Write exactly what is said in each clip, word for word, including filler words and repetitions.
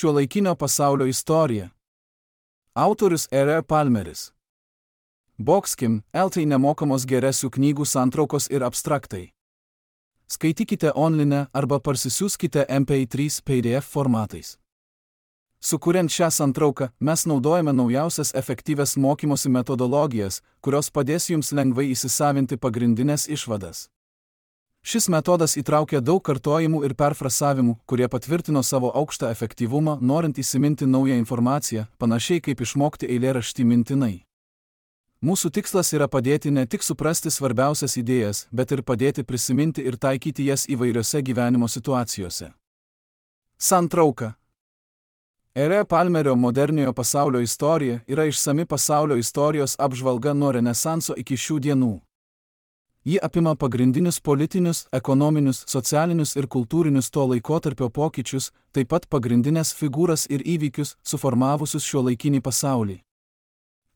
Šiuolaikinio pasaulio istorija. Autorius R R Palmeris. Boxkim, L T nemokamos geresių knygų santraukos ir abstraktai. Skaitykite online arba parsisiųskite M P trys P D F formatais. Sukuriant šią santrauką, mes naudojame naujausias efektyvias mokymosi metodologijas, kurios padės jums lengvai įsisavinti pagrindinės išvadas. Šis metodas įtraukia daug kartojimų ir perfrasavimų, kurie patvirtino savo aukštą efektyvumą, norint įsiminti naują informaciją, panašiai kaip išmokti eilėraštį mintinai. Mūsų tikslas yra padėti ne tik suprasti svarbiausias idėjas, bet ir padėti prisiminti ir taikyti jas įvairiose gyvenimo situacijose. Santrauka. R R Palmerio moderniojo pasaulio istorija yra išsami pasaulio istorijos apžvalga nuo Renesanso iki šių dienų. Ji apima pagrindinius politinius, ekonominius, socialinius ir kultūrinius to laikotarpio pokyčius, taip pat pagrindinės figūras ir įvykius, suformavusius šiuolaikinį pasaulį.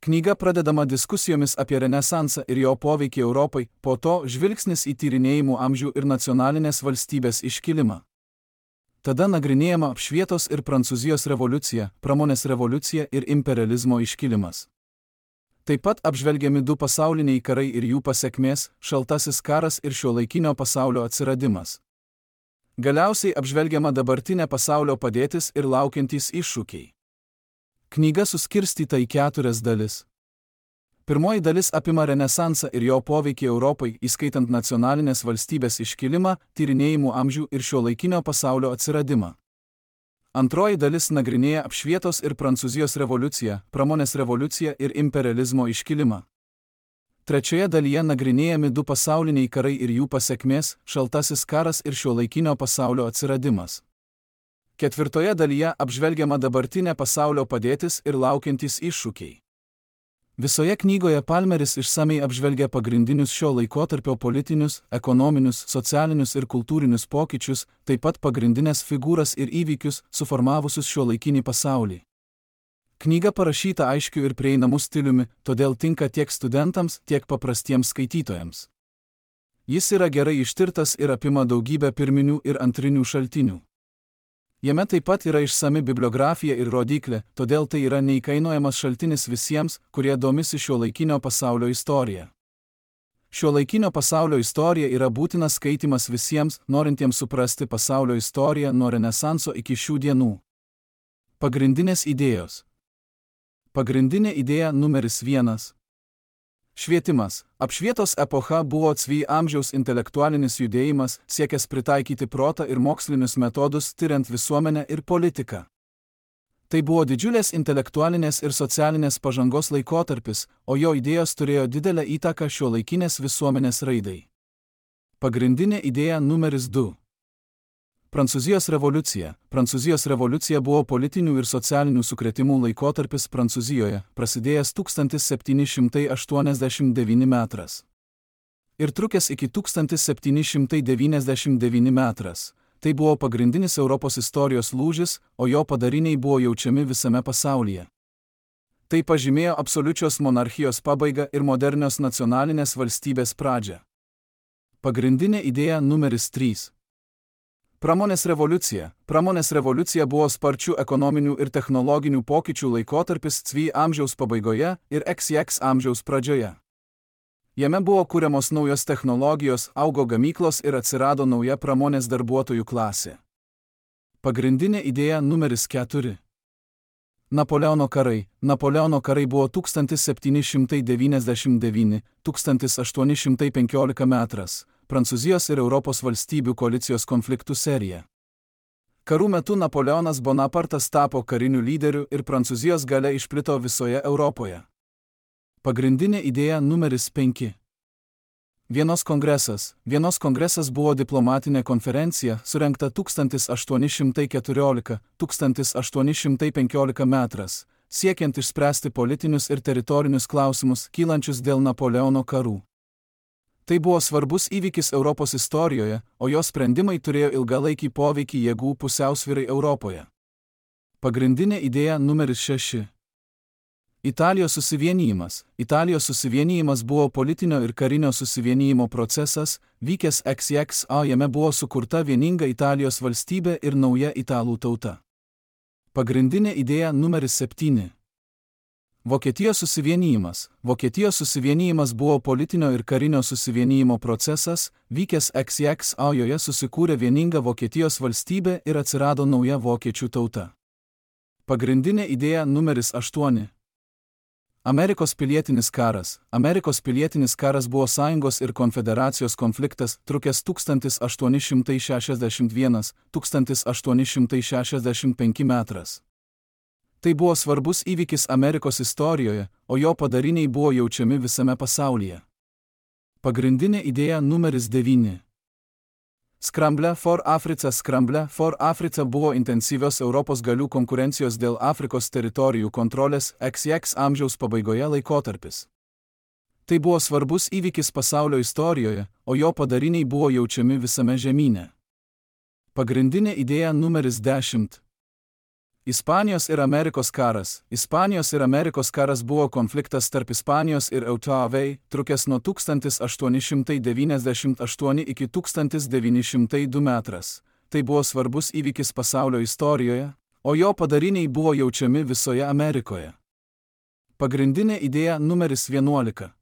Knyga pradedama diskusijomis apie Renesansą ir jo poveikį Europai, po to žvilgsnis į tyrinėjimų amžių ir nacionalinės valstybės iškilimą. Tada nagrinėjama apšvietos ir Prancūzijos revoliucija, pramonės revoliucija ir imperializmo iškilimas. Taip pat apžvelgiami du pasauliniai karai ir jų pasekmės, šaltasis karas ir šiuolaikinio pasaulio atsiradimas. Galiausiai apžvelgiama dabartinė pasaulio padėtis ir laukiantys iššūkiai. Knyga suskirstyta į keturias dalis. Pirmoji dalis apima Renesansą ir jo poveikį Europai, įskaitant nacionalinės valstybės iškilimą, tyrinėjimų amžių ir šiuolaikinio pasaulio atsiradimą. Antroji dalis nagrinėja apšvietos ir Prancūzijos revoliuciją, pramonės revoliuciją ir imperializmo iškilimą. Trečioje dalyje nagrinėjami du pasauliniai karai ir jų pasekmės, šaltasis karas ir šiuolaikinio pasaulio atsiradimas. Ketvirtoje dalyje apžvelgiama dabartinė pasaulio padėtis ir laukiantys iššūkiai. Visoje knygoje Palmeris išsamei apžvelgia pagrindinius šio laikotarpio politinius, ekonominius, socialinius ir kultūrinius pokyčius, taip pat pagrindinės figūras ir įvykius, suformavusius šiuolaikinį pasaulį. Knyga parašyta aiškiu ir prieinamu stiliumi, todėl tinka tiek studentams, tiek paprastiems skaitytojams. Jis yra gerai ištirtas ir apima daugybę pirminių ir antrinių šaltinių. Jame taip pat yra išsami bibliografija ir rodiklė, todėl tai yra neįkainojamas šaltinis visiems, kurie domisi šiuolaikinio pasaulio istorija. Šiuolaikinio pasaulio istorija yra būtinas skaitimas visiems, norintiems suprasti pasaulio istoriją nuo Renesanso iki šių dienų. Pagrindinės idėjos. Pagrindinė idėja numeris vienas. Švietimas. Apšvietos epocha buvo cvi amžiaus intelektualinis judėjimas, siekęs pritaikyti protą ir mokslinius metodus, tiriant visuomenę ir politiką. Tai buvo didžiulės intelektualinės ir socialinės pažangos laikotarpis, o jo idėjos turėjo didelę įtaką šiuolaikinės visuomenės raidai. Pagrindinė idėja numeris du. Prancūzijos revoliucija. Prancūzijos revoliucija buvo politinių ir socialinių sukrėtimų laikotarpis Prancūzijoje, prasidėjęs tūkstantis septyni šimtai aštuoniasdešimt devyni metras. Ir trukęs iki tūkstantis septyni šimtai devyniasdešimt devyni metras. Tai buvo pagrindinis Europos istorijos lūžis, o jo padariniai buvo jaučiami visame pasaulyje. Tai pažymėjo absoliučios monarchijos pabaigą ir modernios nacionalinės valstybės pradžią. Pagrindinė idėja numeris trys. Pramonės revoliucija. Pramonės revoliucija buvo sparčių ekonominių ir technologinių pokyčių laikotarpis cvi amžiaus pabaigoje ir iks iks amžiaus pradžioje. Jame buvo kuriamos naujos technologijos, augo gamyklos ir atsirado nauja pramonės darbuotojų klasė. Pagrindinė idėja numeris keturi. Napoleono karai. Napoleono karai buvo tūkstantis septyni šimtai devyniasdešimt devyni - tūkstantis aštuoni šimtai penkiolika metras. Prancūzijos ir Europos valstybių koalicijos konfliktų serija. Karų metu Napoleonas Bonapartas tapo kariniu lyderiu ir Prancūzijos galia išplito visoje Europoje. Pagrindinė idėja numeris penki. Vienos kongresas. Vienos kongresas buvo diplomatinė konferencija, surengta tūkstantis aštuoni šimtai keturiolika - tūkstantis aštuoni šimtai penkiolika metras, siekiant išspręsti politinius ir teritorinius klausimus, kylančius dėl Napoleono karų. Tai buvo svarbus įvykis Europos istorijoje, o jo sprendimai turėjo ilgalaikį poveikį jėgų pusiausvyrai Europoje. Pagrindinė idėja numeris šeši. Italijos susivienijimas. Italijos susivienijimas buvo politinio ir karinio susivienijimo procesas, vykęs iks iks, o jame buvo sukurta vieninga Italijos valstybė ir nauja italų tauta. Pagrindinė idėja numeris septyni. Vokietijos susivienijimas. Vokietijos susivienijimas buvo politinio ir karinio susivienijimo procesas, vykęs X X A, joje susikūrė vieninga Vokietijos valstybė ir atsirado nauja vokiečių tauta. Pagrindinė idėja numeris aštuoni. Amerikos pilietinis karas. Amerikos pilietinis karas buvo sąjungos ir konfederacijos konfliktas, trukęs tūkstantis aštuoni šimtai šešiasdešimt vienas - tūkstantis aštuoni šimtai šešiasdešimt penki metras. Tai buvo svarbus įvykis Amerikos istorijoje, o jo padariniai buvo jaučiami visame pasaulyje. Pagrindinė idėja numeris devyni. Skramble for Africa. Skramble for Africa buvo intensyvios Europos galių konkurencijos dėl Afrikos teritorijų kontrolės X X amžiaus pabaigoje laikotarpis. Tai buvo svarbus įvykis pasaulio istorijoje, o jo padariniai buvo jaučiami visame žemyne. Pagrindinė idėja numeris dešimt. Ispanijos ir Amerikos karas. Ispanijos ir Amerikos karas buvo konfliktas tarp Ispanijos ir Eutavei, trukęs nuo tūkstantis aštuoni šimtai devyniasdešimt aštuoni iki tūkstantis devyni šimtai du metras. Tai buvo svarbus įvykis pasaulio istorijoje, o jo padariniai buvo jaučiami visoje Amerikoje. Pagrindinė idėja numeris vienuolika.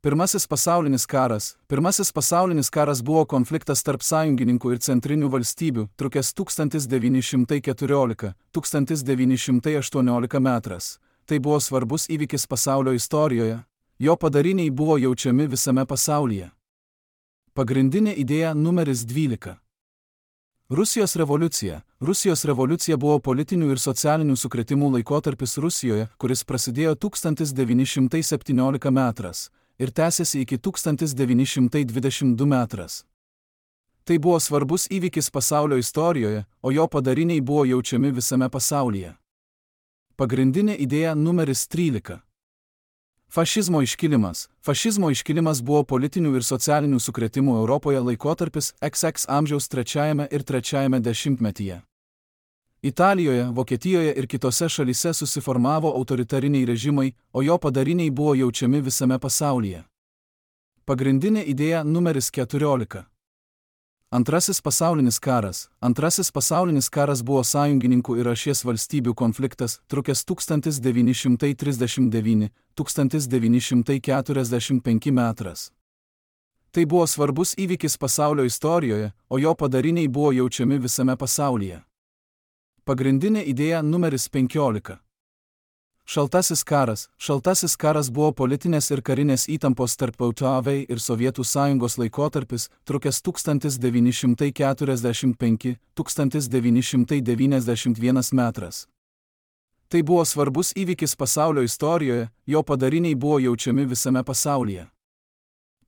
Pirmasis pasaulinis karas. Pirmasis pasaulinis karas buvo konfliktas tarp sąjungininkų ir centrinių valstybių, trukęs tūkstantis devyni šimtai keturiolika - tūkstantis devyni šimtai aštuoniolika metras. Tai buvo svarbus įvykis pasaulio istorijoje, jo padariniai buvo jaučiami visame pasaulyje. Pagrindinė idėja numeris dvylika. Rusijos revoliucija. Rusijos revoliucija buvo politinių ir socialinių sukrėtimų laikotarpis Rusijoje, kuris prasidėjo tūkstantis devyni šimtai septyniolika metras ir tęsėsi iki tūkstantis devyni šimtai dvidešimt du metras. Tai buvo svarbus įvykis pasaulio istorijoje, o jo padariniai buvo jaučiami visame pasaulyje. Pagrindinė idėja numeris trylika. Fašizmo iškilimas. Fašizmo iškilimas buvo politinių ir socialinių sukrėtimų Europoje laikotarpis X X amžiaus trečiajame ir trečiajame dešimtmetyje. Italijoje, Vokietijoje ir kitose šalyse susiformavo autoritariniai režimai, o jo padariniai buvo jaučiami visame pasaulyje. Pagrindinė idėja numeris keturiolika. Antrasis pasaulinis karas. Antrasis pasaulinis karas buvo sąjungininkų ir ašies valstybių konfliktas, trukęs tūkstantis devyni šimtai trisdešimt devyni - tūkstantis devyni šimtai keturiasdešimt penki metras. Tai buvo svarbus įvykis pasaulio istorijoje, o jo padariniai buvo jaučiami visame pasaulyje. Pagrindinė idėja numeris penkiolika. Šaltasis karas. Šaltasis karas buvo politinės ir karinės įtampos tarp Eutavei ir Sovietų sąjungos laikotarpis, trukęs tūkstantis devyni šimtai keturiasdešimt penki - tūkstantis devyni šimtai devyniasdešimt vienas metras. Tai buvo svarbus įvykis pasaulio istorijoje, jo padariniai buvo jaučiami visame pasaulyje.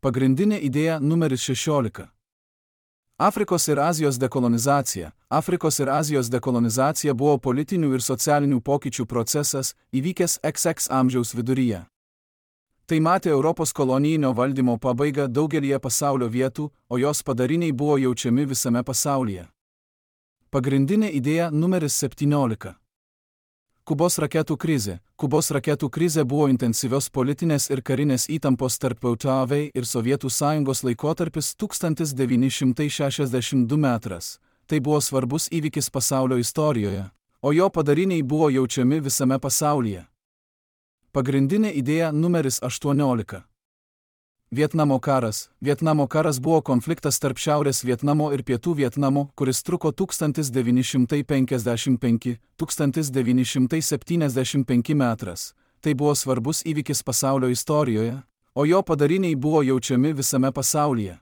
Pagrindinė idėja numeris šešiolika. Afrikos ir Azijos dekolonizacija. Afrikos ir Azijos dekolonizacija buvo politinių ir socialinių pokyčių procesas, įvykęs X X amžiaus viduryje. Tai matė Europos kolonijinio valdymo pabaigą daugelyje pasaulio vietų, o jos padariniai buvo jaučiami visame pasaulyje. Pagrindinė idėja numeris septyniolika. Kubos raketų krizė. Kubos raketų krizė buvo intensyvios politinės ir karinės įtampos tarp Eutavei ir Sovietų sąjungos laikotarpis tūkstantis devyni šimtai šešiasdešimt du metras. Tai buvo svarbus įvykis pasaulio istorijoje, o jo padariniai buvo jaučiami visame pasaulyje. Pagrindinė idėja numeris aštuoniolika. Vietnamo karas. Vietnamo karas buvo konfliktas tarp Šiaurės Vietnamo ir Pietų Vietnamo, kuris truko tūkstantis devyni šimtai penkiasdešimt penki - tūkstantis devyni šimtai septyniasdešimt penki metras. Tai buvo svarbus įvykis pasaulio istorijoje, o jo padariniai buvo jaučiami visame pasaulyje.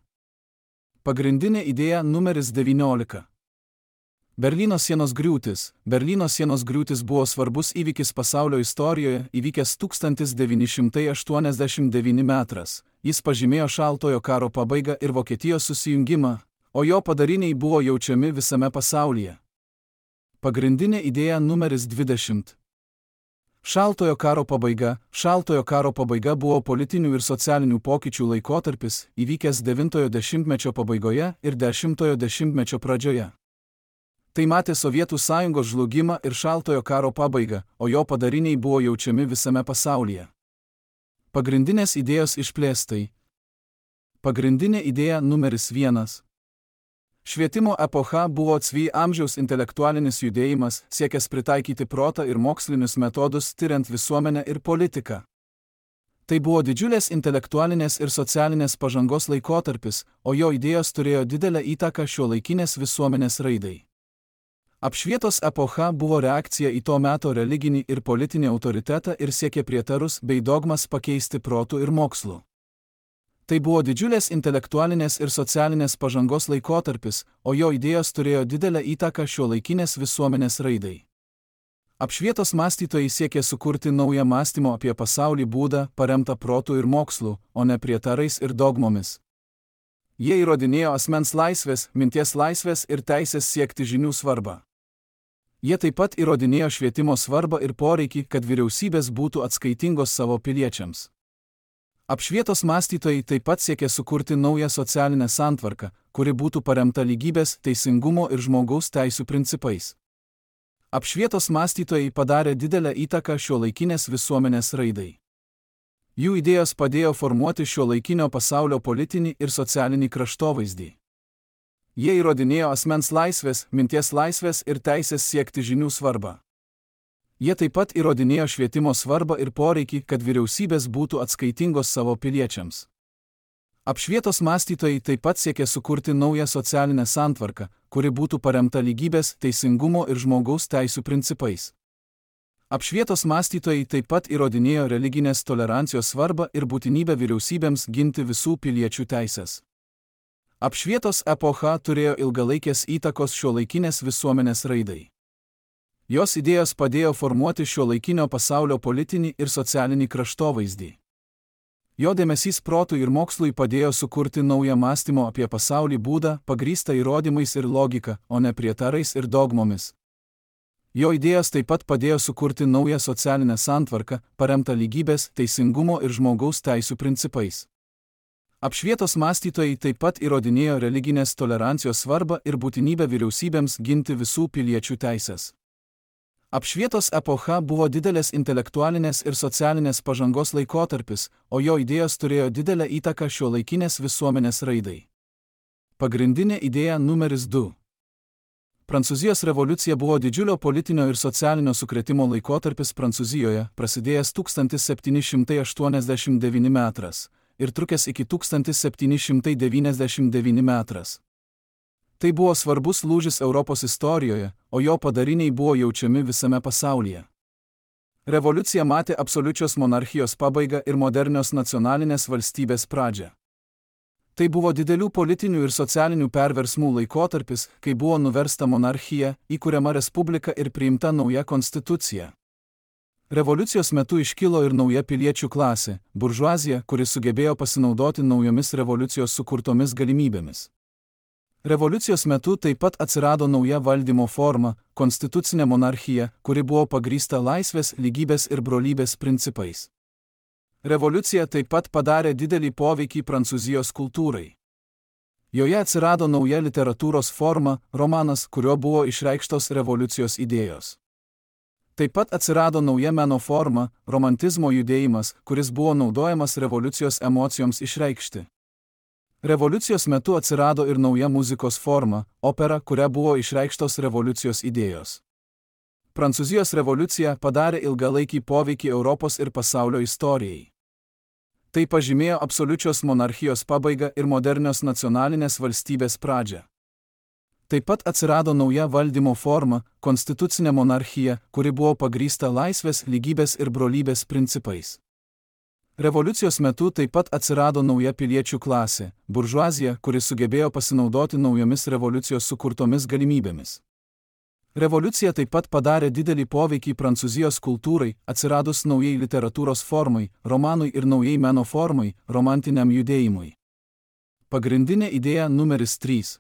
Pagrindinė idėja numeris devyniolika. Berlyno sienos griūtis. Berlyno sienos griūtis buvo svarbus įvykis pasaulio istorijoje, įvykęs tūkstantis devyni šimtai aštuoniasdešimt devyni metras. Jis pažymėjo šaltojo karo pabaigą ir Vokietijos susijungimą, o jo padariniai buvo jaučiami visame pasaulyje. Pagrindinė idėja numeris dvidešimt. Šaltojo karo pabaiga. Šaltojo karo pabaiga buvo politinių ir socialinių pokyčių laikotarpis, įvykęs devintojo dešimtmečio pabaigoje ir dešimtojo dešimtmečio pradžioje. Tai matė Sovietų sąjungos žlugimą ir šaltojo karo pabaigą, o jo padariniai buvo jaučiami visame pasaulyje. Pagrindinės idėjos išplėstai. Pagrindinė idėja numeris vienas. Švietimo epocha buvo cvi amžiaus intelektualinis judėjimas, siekęs pritaikyti protą ir mokslinius metodus tyriant visuomenę ir politiką. Tai buvo didžiulės intelektualinės ir socialinės pažangos laikotarpis, o jo idėjos turėjo didelę įtaką šiuolaikinės visuomenės raidai. Apšvietos epocha buvo reakcija į to meto religinį ir politinį autoritetą ir siekė prietarus bei dogmas pakeisti protų ir mokslu. Tai buvo didžiulės intelektualinės ir socialinės pažangos laikotarpis, o jo idėjos turėjo didelę įtaką šiuolaikinės visuomenės raidai. Apšvietos mąstytojai siekė sukurti naują mąstymo apie pasaulį būdą, paremtą protų ir mokslu, o ne prietarais ir dogmomis. Jie įrodinėjo asmens laisvės, minties laisvės ir teisės siekti žinių svarbą. Jie taip pat įrodinėjo švietimo svarbą ir poreikį, kad vyriausybės būtų atskaitingos savo piliečiams. Apšvietos mąstytojai taip pat siekė sukurti naują socialinę santvarką, kuri būtų paremta lygybės, teisingumo ir žmogaus teisių principais. Apšvietos mąstytojai padarė didelę įtaką šiuolaikinės visuomenės raidai. Jų idėjos padėjo formuoti šiuolaikinio pasaulio politinį ir socialinį kraštovaizdį. Jie įrodinėjo asmens laisvės, minties laisvės ir teisės siekti žinių svarbą. Jie taip pat įrodinėjo švietimo svarbą ir poreikį, kad vyriausybės būtų atskaitingos savo piliečiams. Apšvietos mąstytojai taip pat siekė sukurti naują socialinę santvarką, kuri būtų paremta lygybės, teisingumo ir žmogaus teisių principais. Apšvietos mąstytojai taip pat įrodinėjo religinės tolerancijos svarbą ir būtinybę vyriausybėms ginti visų piliečių teisės. Apšvietos epocha turėjo ilgalaikės įtakos šiuolaikinės visuomenės raidai. Jos idėjos padėjo formuoti šiuolaikinio pasaulio politinį ir socialinį kraštovaizdį. Jo dėmesys protui ir mokslui padėjo sukurti naują mąstymo apie pasaulį būdą, pagrįstą įrodymais ir logika, o ne prietarais ir dogmomis. Jo idėjos taip pat padėjo sukurti naują socialinę santvarką, paremtą lygybės, teisingumo ir žmogaus teisių principais. Apšvietos mąstytojai taip pat įrodinėjo religinės tolerancijos svarbą ir būtinybę vyriausybėms ginti visų piliečių teisės. Apšvietos epocha buvo didelės intelektualinės ir socialinės pažangos laikotarpis, o jo idėjos turėjo didelę įtaką šiuolaikinės visuomenės raidai. Pagrindinė idėja numeris du. Prancūzijos revoliucija buvo didžiulio politinio ir socialinio sukrėtimo laikotarpis Prancūzijoje, prasidėjęs tūkstantis septyni šimtai aštuoniasdešimt devinti metras ir trukęs iki tūkstantis septyni šimtai devyniasdešimt devinti metras. Tai buvo svarbus lūžis Europos istorijoje, o jo padariniai buvo jaučiami visame pasaulyje. Revoliucija matė absoliučios monarchijos pabaigą ir modernios nacionalinės valstybės pradžią. Tai buvo didelių politinių ir socialinių perversmų laikotarpis, kai buvo nuversta monarchija, įkuriama respublika ir priimta nauja konstitucija. Revoliucijos metu iškilo ir nauja piliečių klasė – buržuazija, kuri sugebėjo pasinaudoti naujomis revoliucijos sukurtomis galimybėmis. Revoliucijos metu taip pat atsirado nauja valdymo forma – konstitucinė monarchija, kuri buvo pagrįsta laisvės, lygybės ir brolybės principais. Revoliucija taip pat padarė didelį poveikį Prancūzijos kultūrai. Joje atsirado nauja literatūros forma – romanas, kuriuo buvo išreikštos revoliucijos idėjos. Taip pat atsirado nauja meno forma – romantizmo judėjimas, kuris buvo naudojamas revoliucijos emocijoms išreikšti. Revoliucijos metu atsirado ir nauja muzikos forma – opera, kuria buvo išreikštos revoliucijos idėjos. Prancūzijos revoliucija padarė ilgalaikį poveikį Europos ir pasaulio istorijai. Tai pažymėjo absoliučios monarchijos pabaigą ir modernios nacionalinės valstybės pradžią. Taip pat atsirado nauja valdymo forma – konstitucinė monarchija, kuri buvo pagrįsta laisvės, lygybės ir brolybės principais. Revoliucijos metu taip pat atsirado nauja piliečių klasė – buržuazija, kuri sugebėjo pasinaudoti naujomis revoliucijos sukurtomis galimybėmis. Revoliucija taip pat padarė didelį poveikį Prancūzijos kultūrai, atsiradus naujai literatūros formai, romanui ir naujai meno formai, romantiniam judėjimui. Pagrindinė idėja numeris trys.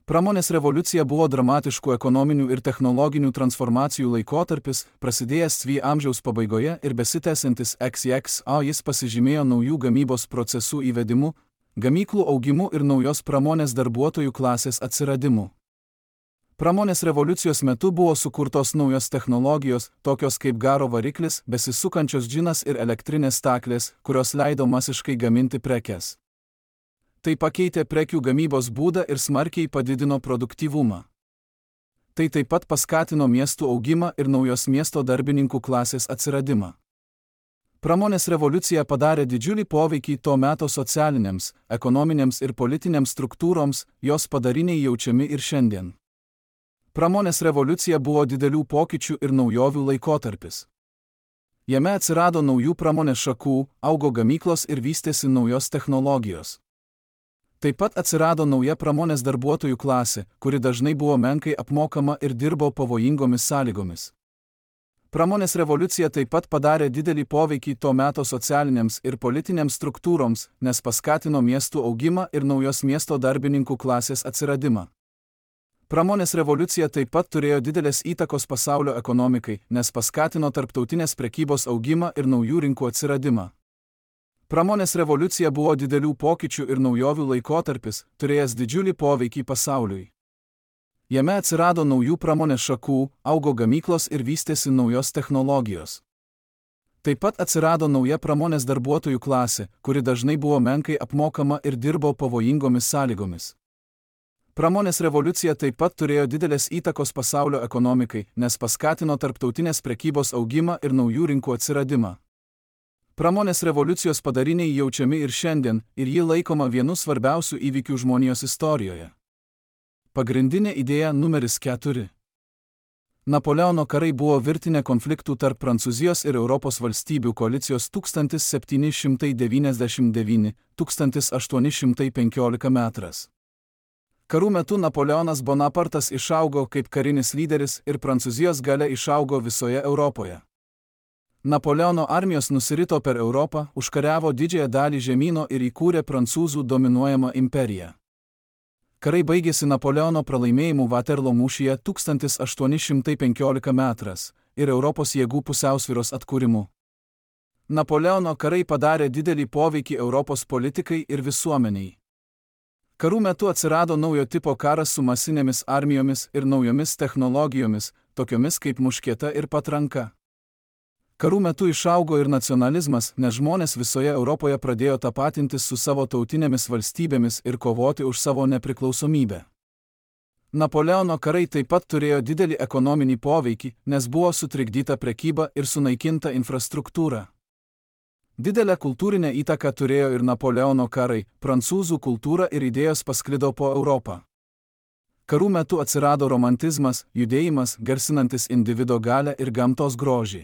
Pramonės revoliucija buvo dramatiškų ekonominių ir technologinių transformacijų laikotarpis, prasidėjęs cvi amžiaus pabaigoje ir besitęsiantis X X, o jis pasižymėjo naujų gamybos procesų įvedimu, gamyklų augimu ir naujos pramonės darbuotojų klasės atsiradimu. Pramonės revoliucijos metu buvo sukurtos naujos technologijos, tokios kaip garo variklis, besisukančios džinas ir elektrinės staklės, kurios leido masiškai gaminti prekes. Tai pakeitė prekių gamybos būdą ir smarkiai padidino produktyvumą. Tai taip pat paskatino miestų augimą ir naujos miesto darbininkų klasės atsiradimą. Pramonės revoliucija padarė didžiulį poveikį to meto socialinėms, ekonominėms ir politinėms struktūroms, jos padariniai jaučiami ir šiandien. Pramonės revoliucija buvo didelių pokyčių ir naujovių laikotarpis. Jame atsirado naujų pramonės šakų, augo gamyklos ir vystėsi naujos technologijos. Taip pat atsirado nauja pramonės darbuotojų klasė, kuri dažnai buvo menkai apmokama ir dirbo pavojingomis sąlygomis. Pramonės revoliucija taip pat padarė didelį poveikį to meto socialinėms ir politinėms struktūroms, nes paskatino miestų augimą ir naujos miesto darbininkų klasės atsiradimą. Pramonės revoliucija taip pat turėjo didelės įtakos pasaulio ekonomikai, nes paskatino tarptautinės prekybos augimą ir naujų rinkų atsiradimą. Pramonės revoliucija buvo didelių pokyčių ir naujovių laikotarpis, turėjęs didžiulį poveikį pasauliui. Jame atsirado naujų pramonės šakų, augo gamyklos ir vystėsi naujos technologijos. Taip pat atsirado nauja pramonės darbuotojų klasė, kuri dažnai buvo menkai apmokama ir dirbo pavojingomis sąlygomis. Pramonės revoliucija taip pat turėjo didelės įtakos pasaulio ekonomikai, nes paskatino tarptautinės prekybos augimą ir naujų rinkų atsiradimą. Pramonės revoliucijos padariniai jaučiami ir šiandien, ir ji laikoma vienu svarbiausių įvykių žmonijos istorijoje. Pagrindinė idėja numeris keturi. Napoleono karai buvo virtinė konfliktų tarp Prancūzijos ir Europos valstybių koalicijos tūkstantis septyni šimtai devyniasdešimt devyni - tūkstantis aštuoni šimtai penkiolika metras. Karų metu Napoleonas Bonapartas išaugo kaip karinis lyderis ir Prancūzijos galia išaugo visoje Europoje. Napoleono armijos nusirito per Europą, užkariavo didžiąją dalį žemyno ir įkūrė prancūzų dominuojamą imperiją. Karai baigėsi Napoleono pralaimėjimu Vaterlo mūšyje tūkstantis aštuoni šimtai penkiolika metras ir Europos jėgų pusiausvyros atkūrimu. Napoleono karai padarė didelį poveikį Europos politikai ir visuomeniai. Karų metu atsirado naujo tipo karas su masinėmis armijomis ir naujomis technologijomis, tokiomis kaip muškieta ir patranka. Karų metu išaugo ir nacionalizmas, nes žmonės visoje Europoje pradėjo tapatintis su savo tautinėmis valstybėmis ir kovoti už savo nepriklausomybę. Napoleono karai taip pat turėjo didelį ekonominį poveikį, nes buvo sutrikdyta prekyba ir sunaikinta infrastruktūra. Didelę kultūrinę įtaką turėjo ir Napoleono karai, prancūzų kultūra ir idėjos pasklido po Europą. Karų metu atsirado romantizmas, judėjimas, garsinantis individo galią ir gamtos grožį.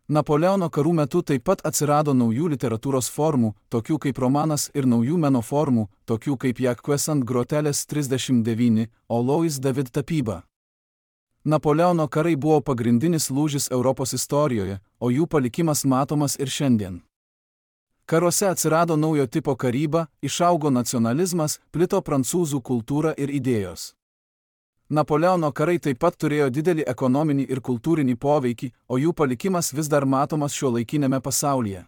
Napoleono karų metu taip pat atsirado naujų literatūros formų, tokių kaip romanas, ir naujų meno formų, tokių kaip Jacques ant grotelės trisdešimt devyni, o Louis David tapyba. Napoleono karai buvo pagrindinis lūžis Europos istorijoje, o jų palikimas matomas ir šiandien. Karuose atsirado naujo tipo karyba, išaugo nacionalizmas, plito prancūzų kultūra ir idėjos. Napoleono karai taip pat turėjo didelį ekonominį ir kultūrinį poveikį, o jų palikimas vis dar matomas šiuolaikinėme pasaulyje.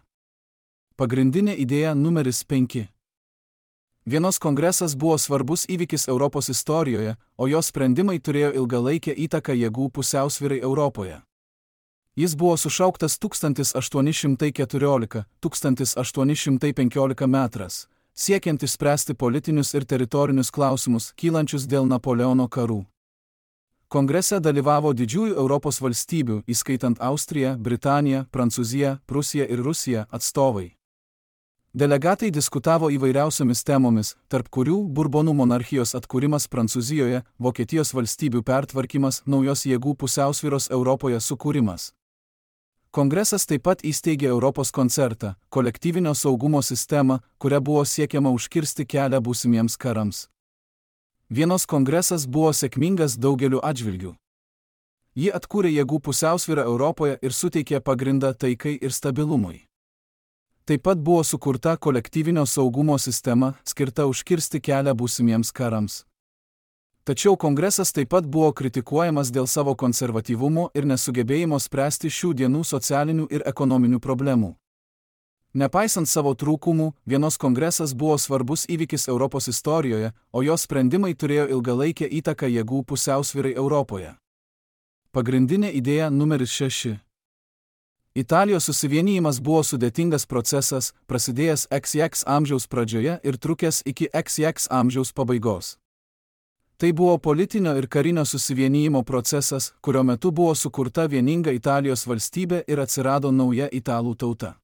Pagrindinė idėja numeris penki. Vienos kongresas buvo svarbus įvykis Europos istorijoje, o jo sprendimai turėjo ilgalaikę įtaką jėgų pusiausvyrai Europoje. Jis buvo sušauktas tūkstantis aštuoni šimtai keturiolika - tūkstantis aštuoni šimtai penkiolika metras, siekiant išspręsti politinius ir teritorinius klausimus, kylančius dėl Napoleono karų. Kongrese dalyvavo didžiųjų Europos valstybių, įskaitant Austriją, Britaniją, Prancūziją, Prusiją ir Rusiją, atstovai. Delegatai diskutavo įvairiausiomis temomis, tarp kurių Burbonų monarchijos atkūrimas Prancūzijoje, Vokietijos valstybių pertvarkymas, naujos jėgų pusiausvyros Europoje sukūrimas. Kongresas taip pat įsteigė Europos koncertą, kolektyvinio saugumo sistemą, kuria buvo siekiama užkirsti kelią būsimiems karams. Vienos kongresas buvo sėkmingas daugeliu atžvilgių. Ji atkūrė jėgų pusiausvyrą Europoje ir suteikė pagrindą taikai ir stabilumui. Taip pat buvo sukurta kolektyvinio saugumo sistema, skirta užkirsti kelią būsimiems karams. Tačiau kongresas taip pat buvo kritikuojamas dėl savo konservatyvumo ir nesugebėjimo spręsti šių dienų socialinių ir ekonominių problemų. Nepaisant savo trūkumų, vienos kongresas buvo svarbus įvykis Europos istorijoje, o jos sprendimai turėjo ilgalaikę įtaką jėgų pusiausvyrai Europoje. Pagrindinė idėja numeris šeši. Italijos susivienijimas buvo sudėtingas procesas, prasidėjęs X X amžiaus pradžioje ir trukęs iki X X amžiaus pabaigos. Tai buvo politinio ir karinio susivienijimo procesas, kurio metu buvo sukurta vieninga Italijos valstybė ir atsirado nauja italų tauta.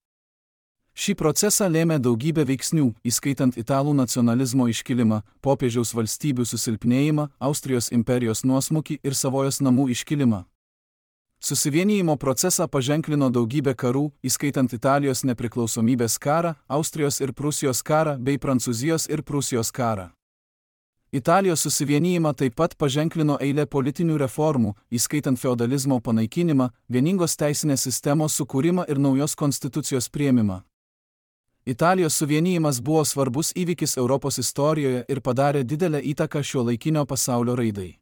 Šį procesą lėmė daugybė veiksnių, įskaitant italų nacionalizmo iškilimą, popiežiaus valstybių susilpnėjimą, Austrijos imperijos nuosmukį ir Savojos namų iškilimą. Susivienijimo procesą paženklino daugybė karų, įskaitant Italijos nepriklausomybės karą, Austrijos ir Prūsijos karą bei Prancūzijos ir Prūsijos karą. Italijos susivienijimą taip pat paženklino eilė politinių reformų, įskaitant feodalizmo panaikinimą, vieningos teisinės sistemos sukūrimą ir naujos konstitucijos priėmimą. Italijos suvienijimas buvo svarbus įvykis Europos istorijoje ir padarė didelę įtaką šiuolaikinio pasaulio raidai.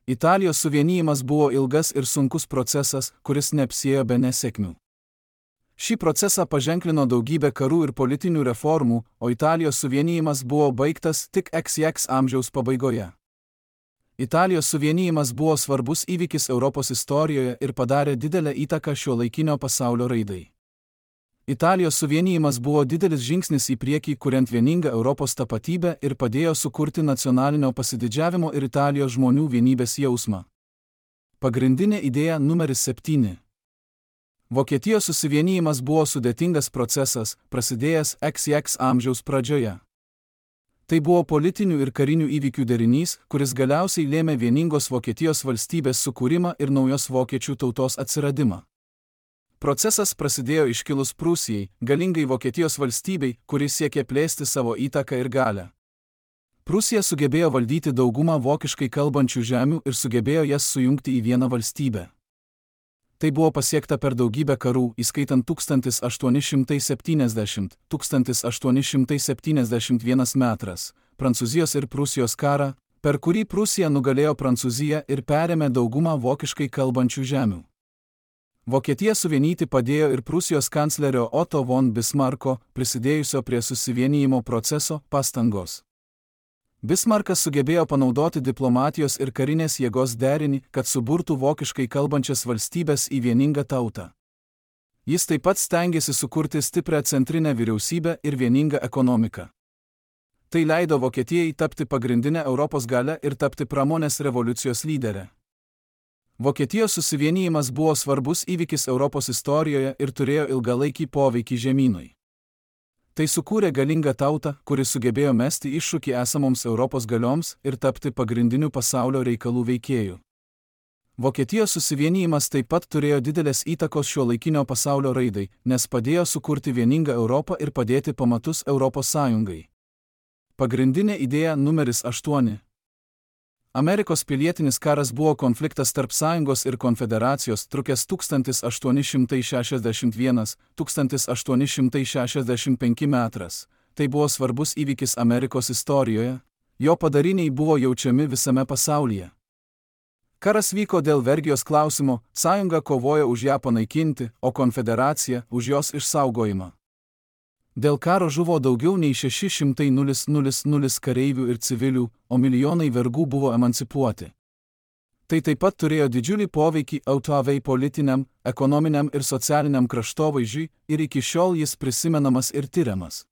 Italijos suvienijimas buvo ilgas ir sunkus procesas, kuris neapsiėjo be nesėkmių. Šį procesą paženklino daugybė karų ir politinių reformų, o Italijos suvienijimas buvo baigtas tik X X amžiaus pabaigoje. Italijos suvienijimas buvo svarbus įvykis Europos istorijoje ir padarė didelę įtaką šiuolaikinio pasaulio raidai. Italijos suvienijimas buvo didelis žingsnis į priekį, kuriant vieningą Europos tapatybę ir padėjo sukurti nacionalinio pasididžiavimo ir Italijos žmonių vienybės jausmą. Pagrindinė idėja numeris septyni. Vokietijos susivienijimas buvo sudėtingas procesas, prasidėjęs X X amžiaus pradžioje. Tai buvo politinių ir karinių įvykių derinys, kuris galiausiai lėmė vieningos Vokietijos valstybės sukūrimą ir naujos vokiečių tautos atsiradimą. Procesas prasidėjo iškilus Prūsijai, galingai Vokietijos valstybei, kuris siekė plėsti savo įtaką ir galią. Prūsija sugebėjo valdyti daugumą vokiškai kalbančių žemių ir sugebėjo jas sujungti į vieną valstybę. Tai buvo pasiekta per daugybę karų, įskaitant tūkstantis aštuoni šimtai septyniasdešimt - tūkstantis aštuoni šimtai septyniasdešimt vienas metras, Prancūzijos ir Prūsijos karą, per kurį Prūsija nugalėjo Prancūziją ir perėmė daugumą vokiškai kalbančių žemių. Vokietiją suvienyti padėjo ir Prūsijos kanclerio Otto von Bismarcko, prisidėjusio prie susivienijimo proceso, pastangos. Bismarckas sugebėjo panaudoti diplomatijos ir karinės jėgos derinį, kad suburtų vokiškai kalbančias valstybės į vieningą tautą. Jis taip pat stengėsi sukurti stiprią centrinę vyriausybę ir vieningą ekonomiką. Tai leido Vokietijai tapti pagrindinę Europos galę ir tapti pramonės revoliucijos lyderę. Vokietijos susivienijimas buvo svarbus įvykis Europos istorijoje ir turėjo ilgalaikį poveikį žemynui. Tai sukūrė galingą tautą, kuri sugebėjo mesti iššūkį esamoms Europos galioms ir tapti pagrindiniu pasaulio reikalų veikėju. Vokietijos susivienijimas taip pat turėjo didelės įtakos šiuolaikinio pasaulio raidai, nes padėjo sukurti vieningą Europą ir padėti pamatus Europos Sąjungai. Pagrindinė idėja numeris aštuoni. Amerikos pilietinis karas buvo konfliktas tarp Sąjungos ir Konfederacijos, trukęs tūkstantis aštuoni šimtai šešiasdešimt vienas - tūkstantis aštuoni šimtai šešiasdešimt penki metras. Tai buvo svarbus įvykis Amerikos istorijoje, jo padariniai buvo jaučiami visame pasaulyje. Karas vyko dėl vergijos klausimo, Sąjunga kovojo už ją panaikinti, o Konfederacija už jos išsaugojimą. Dėl karo žuvo daugiau nei šeši šimtai tūkstančiai kareivių ir civilių, o milijonai vergų buvo emancipuoti. Tai taip pat turėjo didžiulį poveikį Autoavei politiniam, ekonominiam ir socialiniam kraštovaizdžiui ir iki šiol jis prisimenamas ir tiriamas.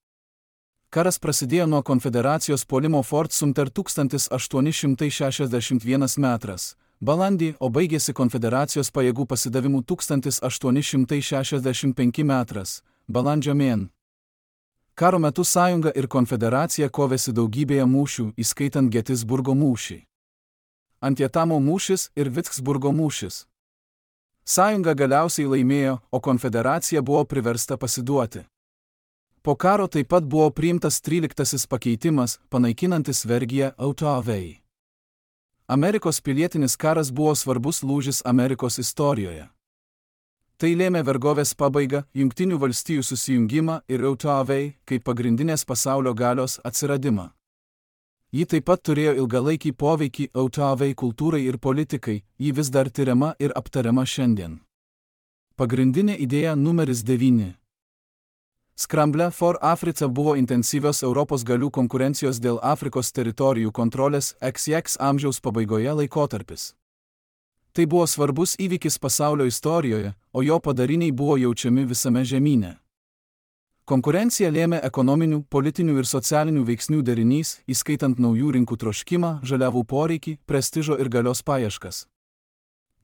Karas prasidėjo nuo Konfederacijos puolimo Fort Sumter tūkstantis aštuoni šimtai šešiasdešimt vienas metras, balandį, o baigėsi Konfederacijos pajėgų pasidavimu tūkstantis aštuoni šimtai šešiasdešimt penki metras, balandžio mėn. Karo metu Sąjunga ir Konfederacija kovėsi daugybėje mūšių, įskaitant Getisburgo mūšį, Antjetamo mūšis ir Vicksburgo mūšis. Sąjunga galiausiai laimėjo, o Konfederacija buvo priversta pasiduoti. Po karo taip pat buvo priimtas tryliktasis pakeitimas, panaikinantis vergiją Autoavei. Amerikos pilietinis karas buvo svarbus lūžis Amerikos istorijoje. Tai lėmė vergovės pabaigą, Jungtinių valstijų susijungimą ir Autoavei, kaip pagrindinės pasaulio galios, atsiradimą. Ji taip pat turėjo ilgalaikį poveikį Autoavei kultūrai ir politikai, ji vis dar tiriama ir aptariama šiandien. Pagrindinė idėja numeris devyni. Scramble for Africa buvo intensyvios Europos galių konkurencijos dėl Afrikos teritorijų kontrolės X X amžiaus pabaigoje laikotarpis. Tai buvo svarbus įvykis pasaulio istorijoje, o jo padariniai buvo jaučiami visame žemyne. Konkurencija lėmė ekonominių, politinių ir socialinių veiksnių derinys, įskaitant naujų rinkų troškimą, žaliavų poreikį, prestižo ir galios paieškas.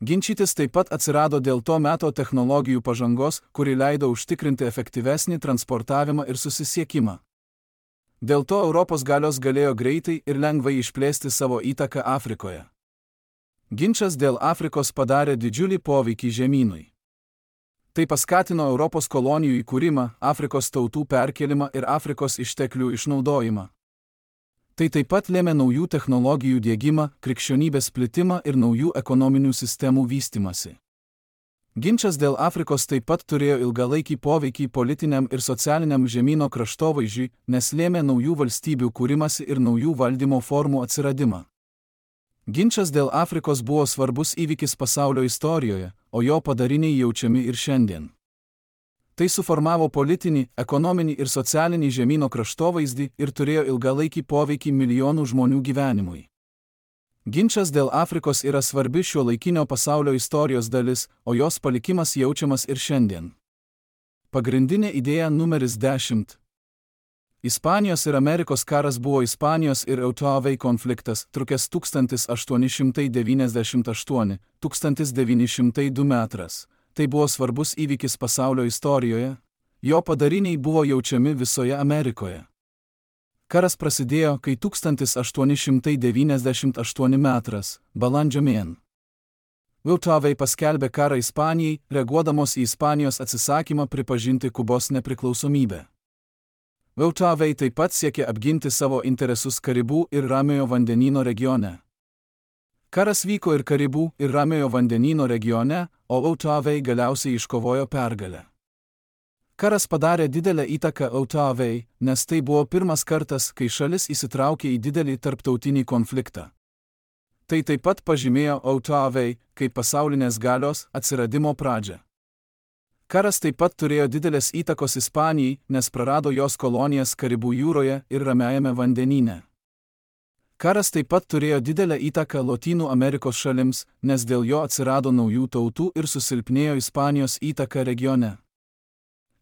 Ginčytis taip pat atsirado dėl to meto technologijų pažangos, kuri leido užtikrinti efektyvesnį transportavimą ir susisiekimą. Dėl to Europos galios galėjo greitai ir lengvai išplėsti savo įtaką Afrikoje. Ginčas dėl Afrikos padarė didžiulį poveikį žemynui. Tai paskatino Europos kolonijų įkūrimą, Afrikos tautų perkėlimą ir Afrikos išteklių išnaudojimą. Tai taip pat lėmė naujų technologijų diegimą, krikščionybės plitimą ir naujų ekonominių sistemų vystymąsi. Ginčas dėl Afrikos taip pat turėjo ilgalaikį poveikį politiniam ir socialiniam žemyno kraštovaizdžiui, nes lėmė naujų valstybių kūrimąsi ir naujų valdymo formų atsiradimą. Ginčas dėl Afrikos buvo svarbus įvykis pasaulio istorijoje, o jo padariniai jaučiami ir šiandien. Tai suformavo politinį, ekonominį ir socialinį žemyno kraštovaizdį ir turėjo ilgalaikį poveikį milijonų žmonių gyvenimui. Ginčas dėl Afrikos yra svarbi šiuolaikinio pasaulio istorijos dalis, o jos palikimas jaučiamas ir šiandien. Pagrindinė idėja numeris dešimt. Ispanijos ir Amerikos karas buvo Ispanijos ir Eutavei konfliktas, trukęs tūkstantis aštuoni šimtai devyniasdešimt aštuoni - tūkstantis devyni šimtai du metras. Tai buvo svarbus įvykis pasaulio istorijoje, jo padariniai buvo jaučiami visoje Amerikoje. Karas prasidėjo, kai tūkstantis aštuoni šimtai devyniasdešimt aštuoni metras, balandžio mėn. Eutavei paskelbė karą Ispanijai, reaguodamos į Ispanijos atsisakymą pripažinti Kubos nepriklausomybę. Eutavei taip pat siekė apginti savo interesus Karibų ir Ramiojo vandenyno regione. Karas vyko ir Karibų ir Ramiojo vandenyno regione, o Eutavei galiausiai iškovojo pergalę. Karas padarė didelę įtaką Eutavei, nes tai buvo pirmas kartas, kai šalis įsitraukė į didelį tarptautinį konfliktą. Tai taip pat pažymėjo Eutavei kaip pasaulinės galios atsiradimo pradžią. Karas taip pat turėjo didelės įtakos Ispanijai, nes prarado jos kolonijas Karibų jūroje ir Ramiajame vandenyne. Karas taip pat turėjo didelę įtaką Lotynų Amerikos šalims, nes dėl jo atsirado naujų tautų ir susilpnėjo Ispanijos įtaka regione.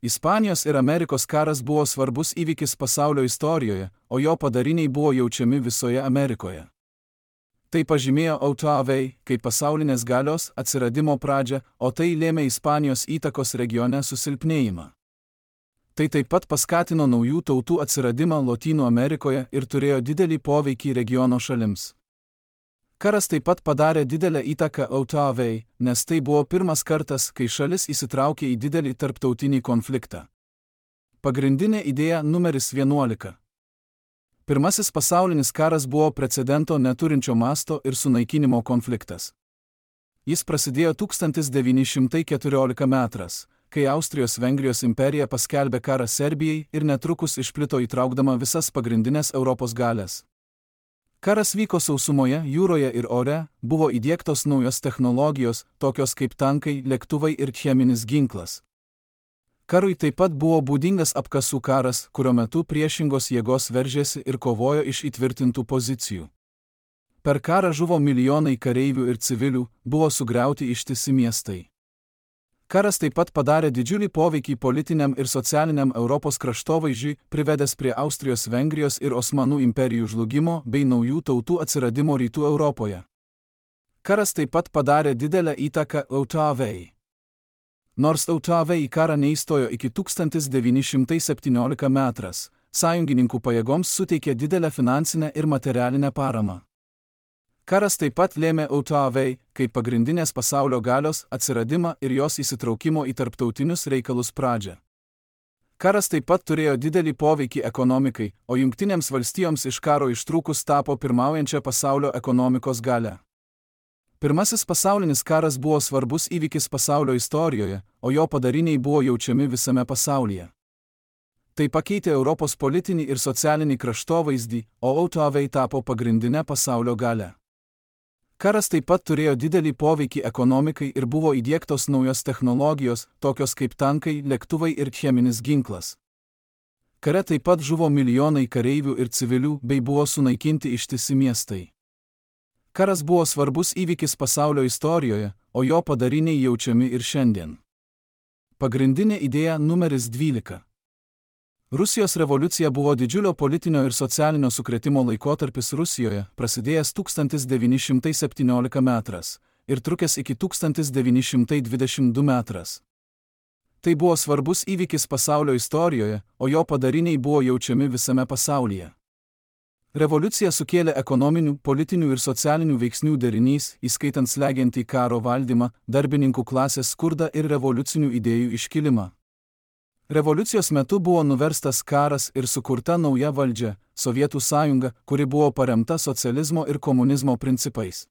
Ispanijos ir Amerikos karas buvo svarbus įvykis pasaulio istorijoje, o jo padariniai buvo jaučiami visoje Amerikoje. Tai pažymėjo Eutavei kaip pasaulinės galios atsiradimo pradžią, o tai lėmė Ispanijos įtakos regione susilpnėjimą. Tai taip pat paskatino naujų tautų atsiradimą Lotynų Amerikoje ir turėjo didelį poveikį regiono šalims. Karas taip pat padarė didelę įtaką Eutavei, nes tai buvo pirmas kartas, kai šalis įsitraukė į didelį tarptautinį konfliktą. Pagrindinė idėja numeris vienuolika. Pirmasis pasaulinis karas buvo precedento neturinčio masto ir sunaikinimo konfliktas. Jis prasidėjo tūkstantis devyni šimtai keturioliktas metras, kai Austrijos-Vengrijos imperija paskelbė karą Serbijai ir netrukus išplito įtraukdama visas pagrindinės Europos galias. Karas vyko sausumoje, jūroje ir ore, buvo įdiegtos naujos technologijos, tokios kaip tankai, lėktuvai ir cheminis ginklas. Karui taip pat buvo būdingas apkasų karas, kurio metu priešingos jėgos veržėsi ir kovojo iš įtvirtintų pozicijų. Per karą žuvo milijonai kareivių ir civilių, buvo sugriauti ištisi miestai. Karas taip pat padarė didžiulį poveikį politiniam ir socialiniam Europos kraštovaizdžiui, privedęs prie Austrijos, Vengrijos ir Osmanų imperijų žlugimo bei naujų tautų atsiradimo rytų Europoje. Karas taip pat padarė didelę įtaką Eutavei. Nors Eutavei į karą neįstojo iki tūkstantis devyni šimtai septynioliktas metras, sąjungininkų pajėgoms suteikė didelę finansinę ir materialinę paramą. Karas taip pat lėmė Eutavei, kaip pagrindinės pasaulio galios atsiradimą ir jos įsitraukimo į tarptautinius reikalus pradžią. Karas taip pat turėjo didelį poveikį ekonomikai, o Jungtinėms valstijoms iš karo ištrūkus tapo pirmaujančia pasaulio ekonomikos galia. Pirmasis pasaulinis karas buvo svarbus įvykis pasaulio istorijoje, o jo padariniai buvo jaučiami visame pasaulyje. Tai pakeitė Europos politinį ir socialinį kraštovaizdį, o Eutavei tapo pagrindinė pasaulio galia. Karas taip pat turėjo didelį poveikį ekonomikai ir buvo įdiegtos naujos technologijos, tokios kaip tankai, lėktuvai ir cheminis ginklas. Kare taip pat žuvo milijonai kareivių ir civilių bei buvo sunaikinti ištisi miestai. Karas buvo svarbus įvykis pasaulio istorijoje, o jo padariniai jaučiami ir šiandien. Pagrindinė idėja numeris dvylika. Rusijos revoliucija buvo didžiulio politinio ir socialinio sukrėtimo laikotarpis Rusijoje, prasidėjęs tūkstantis devyni šimtai septynioliktas metras ir trukęs iki tūkstantis devyni šimtai dvidešimt du metras. Tai buvo svarbus įvykis pasaulio istorijoje, o jo padariniai buvo jaučiami visame pasaulyje. Revoliucija sukėlė ekonominių, politinių ir socialinių veiksnių derinys, įskaitant slegiantį karo valdymą, darbininkų klasės skurdą ir revoliucinių idėjų iškilimą. Revoliucijos metu buvo nuverstas karas ir sukurta nauja valdžia – Sovietų sąjunga, kuri buvo paremta socializmo ir komunizmo principais.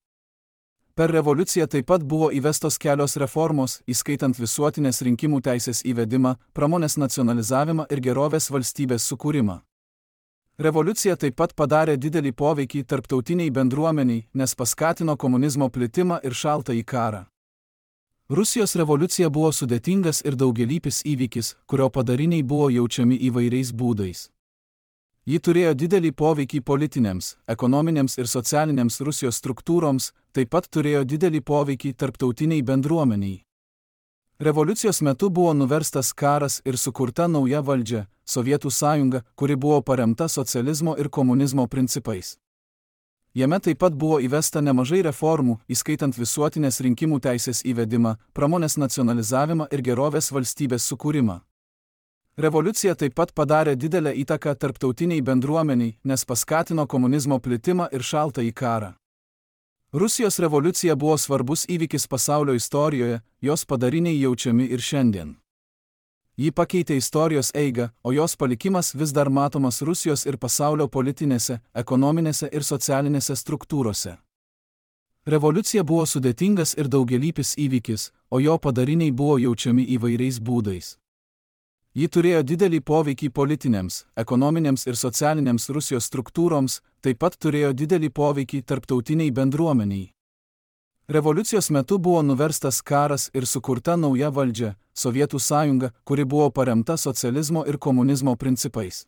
Per revoliuciją taip pat buvo įvestos kelios reformos, įskaitant visuotinės rinkimų teisės įvedimą, pramonės nacionalizavimą ir gerovės valstybės sukūrimą. Revoliucija taip pat padarė didelį poveikį tarptautiniai bendruomeniai, nes paskatino komunizmo plitimą ir šaltąjį karą. Rusijos revoliucija buvo sudėtingas ir daugialypis įvykis, kurio padariniai buvo jaučiami įvairiais būdais. Ji turėjo didelį poveikį politinėms, ekonominėms ir socialinėms Rusijos struktūroms, taip pat turėjo didelį poveikį tarptautiniai bendruomeniai. Revoliucijos metu buvo nuverstas karas ir sukurta nauja valdžia – Sovietų sąjunga, kuri buvo paremta socializmo ir komunizmo principais. Jame taip pat buvo įvesta nemažai reformų, įskaitant visuotinės rinkimų teisės įvedimą, pramonės nacionalizavimą ir gerovės valstybės sukūrimą. Revoliucija taip pat padarė didelę įtaką tarptautiniai bendruomeniai, nes paskatino komunizmo plitimą ir šaltąjį karą. Rusijos revoliucija buvo svarbus įvykis pasaulio istorijoje, jos padariniai jaučiami ir šiandien. Ji pakeitė istorijos eigą, o jos palikimas vis dar matomas Rusijos ir pasaulio politinėse, ekonominėse ir socialinėse struktūrose. Revoliucija buvo sudėtingas ir daugialypis įvykis, o jo padariniai buvo jaučiami įvairiais būdais. Ji turėjo didelį poveikį politinėms, ekonominėms ir socialinėms Rusijos struktūroms, taip pat turėjo didelį poveikį tarptautiniai bendruomeniai. Revoliucijos metu buvo nuverstas karas ir sukurta nauja valdžia – Sovietų sąjunga, kuri buvo paremta socializmo ir komunizmo principais.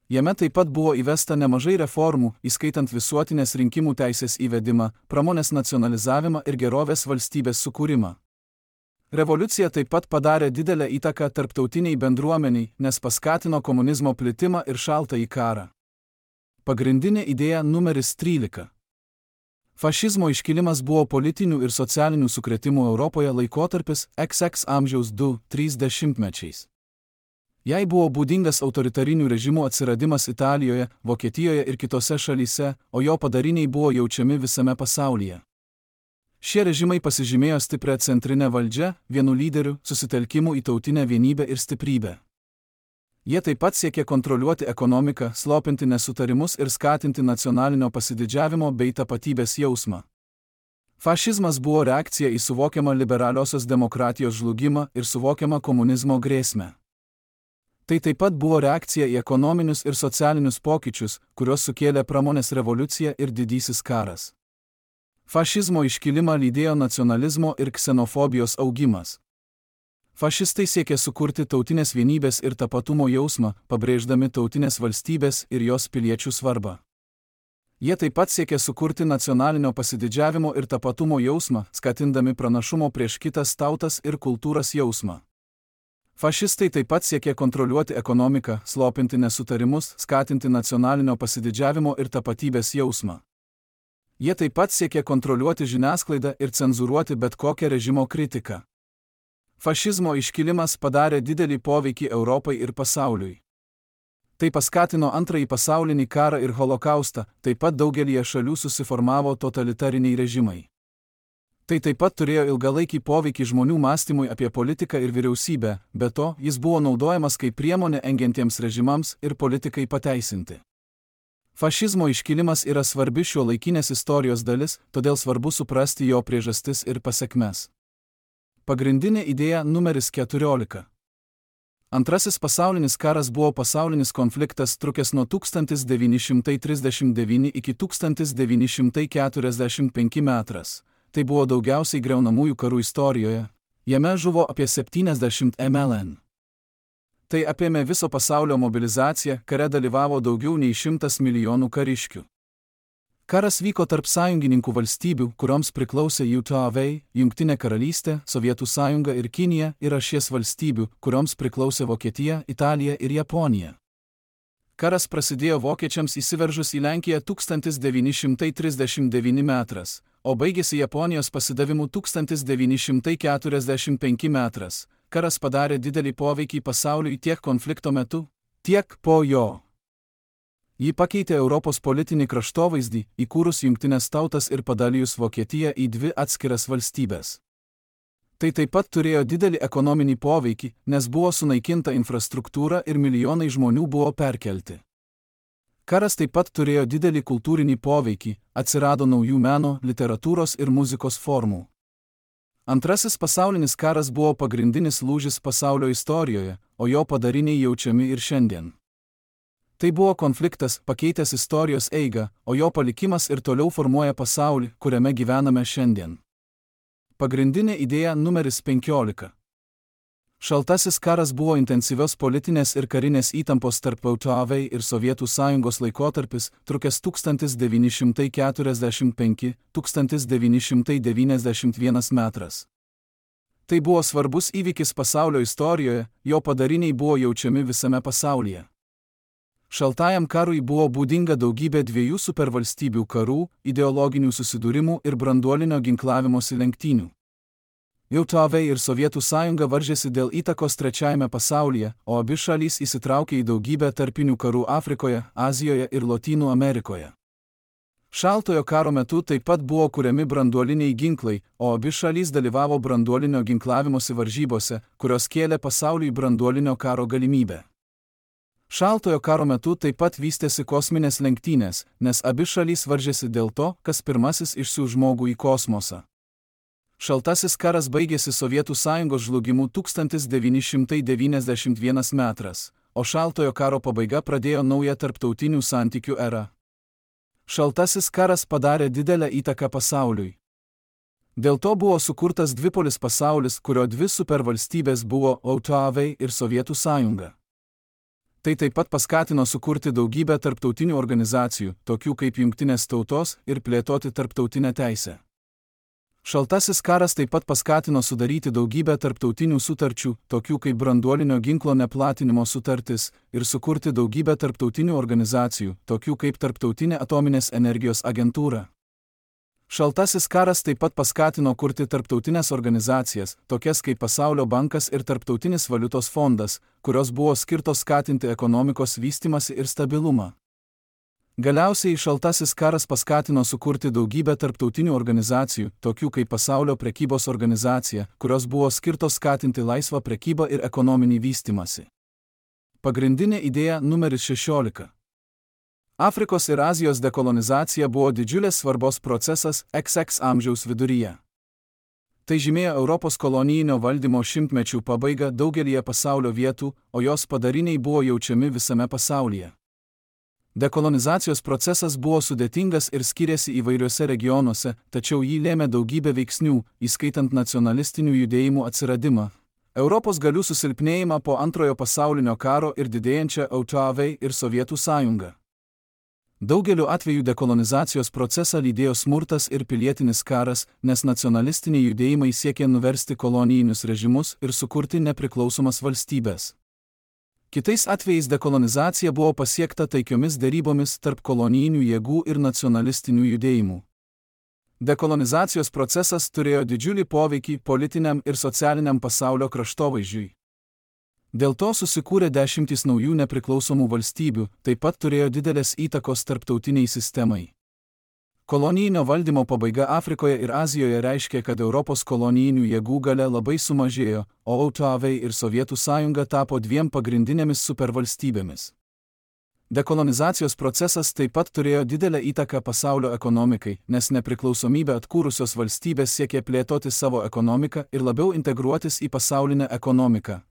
Jame taip pat buvo įvesta nemažai reformų, įskaitant visuotinės rinkimų teisės įvedimą, pramonės nacionalizavimą ir gerovės valstybės sukūrimą. Revoliucija taip pat padarė didelę įtaką tarptautiniai bendruomeniai, nes paskatino komunizmo plitimą ir šaltąjį karą. Pagrindinė idėja numeris trylika. Fašizmo iškilimas buvo politinių ir socialinių sukrėtimų Europoje laikotarpis iks iks amžiaus du trys dešimtmečiais. Jai buvo būdingas autoritarinių režimų atsiradimas Italijoje, Vokietijoje ir kitose šalyse, o jo padariniai buvo jaučiami visame pasaulyje. Šie režimai pasižymėjo stiprią centrinę valdžią, vienu lyderiu, susitelkimu į tautinę vienybę ir stiprybę. Jie taip pat siekė kontroliuoti ekonomiką, slopinti nesutarimus ir skatinti nacionalinio pasididžiavimo bei tapatybės jausmą. Fašizmas buvo reakcija į suvokiamą liberaliosios demokratijos žlugimą ir suvokiamą komunizmo grėsmę. Tai taip pat buvo reakcija į ekonominius ir socialinius pokyčius, kuriuos sukėlė pramonės revoliucija ir didysis karas. Fašizmo iškilimą lydėjo nacionalizmo ir ksenofobijos augimas. Fašistai siekė sukurti tautinės vienybės ir tapatumo jausmą, pabrėždami tautinės valstybės ir jos piliečių svarbą. Jie taip pat siekė sukurti nacionalinio pasididžiavimo ir tapatumo jausmą, skatindami pranašumo prieš kitas tautas ir kultūras jausmą. Fašistai taip pat siekė kontroliuoti ekonomiką, slopinti nesutarimus, skatinti nacionalinio pasididžiavimo ir tapatybės jausmą. Jie taip pat siekė kontroliuoti žiniasklaidą ir cenzūruoti bet kokią režimo kritiką. Fašizmo iškilimas padarė didelį poveikį Europai ir pasauliui. Tai paskatino antrąjį pasaulinį karą ir holokaustą, taip pat daugelyje šalių susiformavo totalitariniai režimai. Tai taip pat turėjo ilgalaikį poveikį žmonių mąstymui apie politiką ir vyriausybę, be to, jis buvo naudojamas kaip priemonė engiantiems režimams ir politikai pateisinti. Fašizmo iškilimas yra svarbi šiuolaikinės istorijos dalis, todėl svarbu suprasti jo priežastis ir pasekmes. Pagrindinė idėja numeris keturiolika. Antrasis pasaulinis karas buvo pasaulinis konfliktas trukęs nuo tūkstantis devyni šimtai trisdešimt devyni iki tūkstantis devyni šimtai keturiasdešimt penki metras. Tai buvo daugiausiai griaunamųjų karų istorijoje. Jame žuvo apie septyniasdešimt milijonų. Tai apėmė viso pasaulio mobilizaciją, kare dalyvavo daugiau nei šimtas milijonų kariškių. Karas vyko tarp sąjungininkų valstybių, kurioms priklausė U T A V, Jungtinė karalystė, Sovietų sąjunga ir Kinija, ir ašies valstybių, kurioms priklausė Vokietija, Italija ir Japonija. Karas prasidėjo vokiečiams įsiveržus į Lenkiją tūkstantis devyni šimtai trisdešimt devyni metras, o baigėsi Japonijos pasidavimu tūkstantis devyni šimtai keturiasdešimt penki metras. Karas padarė didelį poveikį pasauliui tiek konflikto metu, tiek po jo. Ji pakeitė Europos politinį kraštovaizdį, įkūrus Jungtines tautas ir padalijus Vokietiją į dvi atskiras valstybes. Tai taip pat turėjo didelį ekonominį poveikį, nes buvo sunaikinta infrastruktūra ir milijonai žmonių buvo perkelti. Karas taip pat turėjo didelį kultūrinį poveikį, atsirado naujų meno, literatūros ir muzikos formų. Antrasis pasaulinis karas buvo pagrindinis lūžis pasaulio istorijoje, o jo padariniai jaučiami ir šiandien. Tai buvo konfliktas, pakeitęs istorijos eigą, o jo palikimas ir toliau formuoja pasaulį, kuriame gyvename šiandien. Pagrindinė idėja numeris penkiolika. Šaltasis karas buvo intensyvios politinės ir karinės įtampos tarp U T A V ir Sovietų sąjungos laikotarpis, trukęs tūkstantis devyni šimtai keturiasdešimt penki - tūkstantis devyni šimtai devyniasdešimt vienas metras. Tai buvo svarbus įvykis pasaulio istorijoje, jo padariniai buvo jaučiami visame pasaulyje. Šaltajam karui buvo būdinga daugybė dviejų supervalstybių karų, ideologinių susidūrimų ir branduolinio ginklavimosi lenktynių. U T A V ir Sovietų sąjunga varžėsi dėl įtakos trečiajame pasaulyje, o abi šalys įsitraukė į daugybę tarpinių karų Afrikoje, Azijoje ir Lotynų Amerikoje. Šaltojo karo metu taip pat buvo kuriami branduoliniai ginklai, o abi šalys dalyvavo branduolinio ginklavimosi varžybose, kurios kėlė pasauliui branduolinio karo galimybę. Šaltojo karo metu taip pat vystėsi kosminės lenktynės, nes abi šalys varžėsi dėl to, kas pirmasis išsiųs žmogų į kosmosą. Šaltasis karas baigėsi Sovietų sąjungos žlugimu tūkstantis devyni šimtai devyniasdešimt vienas metras, o šaltojo karo pabaiga pradėjo naują tarptautinių santykių erą. Šaltasis karas padarė didelę įtaką pasauliui. Dėl to buvo sukurtas dvipolis pasaulis, kurio dvi supervalstybės buvo U T A V ir Sovietų sąjunga. Tai taip pat paskatino sukurti daugybę tarptautinių organizacijų, tokių kaip Jungtinės tautos, ir plėtoti tarptautinę teisę. Šaltasis karas taip pat paskatino sudaryti daugybę tarptautinių sutarčių, tokių kaip branduolinio ginklo neplatinimo sutartis, ir sukurti daugybę tarptautinių organizacijų, tokių kaip Tarptautinė atominės energijos agentūra. Šaltasis karas taip pat paskatino kurti tarptautinės organizacijas, tokias kaip Pasaulio bankas ir Tarptautinis valiutos fondas, kurios buvo skirtos skatinti ekonomikos vystymąsi ir stabilumą. Galiausiai šaltasis karas paskatino sukurti daugybę tarptautinių organizacijų, tokių kaip Pasaulio prekybos organizacija, kurios buvo skirtos skatinti laisvą prekybą ir ekonominį vystymąsi. Pagrindinė idėja numeris šešiolika. Afrikos ir Azijos dekolonizacija buvo didžiulės svarbos procesas X X amžiaus viduryje. Tai žymėjo Europos kolonijinio valdymo šimtmečių pabaigą daugelyje pasaulio vietų, o jos padariniai buvo jaučiami visame pasaulyje. Dekolonizacijos procesas buvo sudėtingas ir skiriasi įvairiuose regionuose, tačiau jį lėmė daugybė veiksnių, įskaitant nacionalistinių judėjimų atsiradimą, Europos galių susilpnėjimą po antrojo pasaulinio karo ir didėjančią U T A V ir Sovietų sąjungą. Daugeliu atveju dekolonizacijos procesą lydėjo smurtas ir pilietinis karas, nes nacionalistiniai judėjimai siekė nuversti kolonijinius režimus ir sukurti nepriklausomas valstybės. Kitais atvejais dekolonizacija buvo pasiekta taikiomis derybomis tarp kolonijinių jėgų ir nacionalistinių judėjimų. Dekolonizacijos procesas turėjo didžiulį poveikį politiniam ir socialiniam pasaulio kraštovaizdžiui. Dėl to susikūrė dešimtys naujų nepriklausomų valstybių, taip pat turėjo didelės įtakos tarptautiniai sistemai. Kolonijinio valdymo pabaiga Afrikoje ir Azijoje reiškė, kad Europos kolonijinių jėgų galia labai sumažėjo, o U T A V ir Sovietų sąjunga tapo dviem pagrindinėmis supervalstybėmis. Dekolonizacijos procesas taip pat turėjo didelę įtaką pasaulio ekonomikai, nes nepriklausomybę atkūrusios valstybės siekė plėtoti savo ekonomiką ir labiau integruotis į pasaulinę ekonomiką.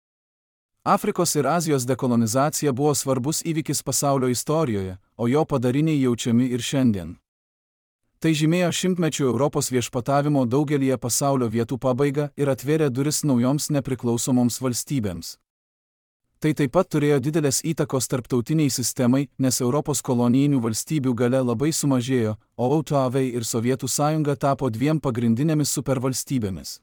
Afrikos ir Azijos dekolonizacija buvo svarbus įvykis pasaulio istorijoje, o jo padariniai jaučiami ir šiandien. Tai žymėjo šimtmečių Europos viešpatavimo daugelyje pasaulio vietų pabaigą ir atvėrė duris naujoms nepriklausomoms valstybėms. Tai taip pat turėjo didelės įtakos tarptautiniai sistemai, nes Europos kolonijinių valstybių galia labai sumažėjo, o O T V ir Sovietų sąjunga tapo dviem pagrindinėmis supervalstybėmis.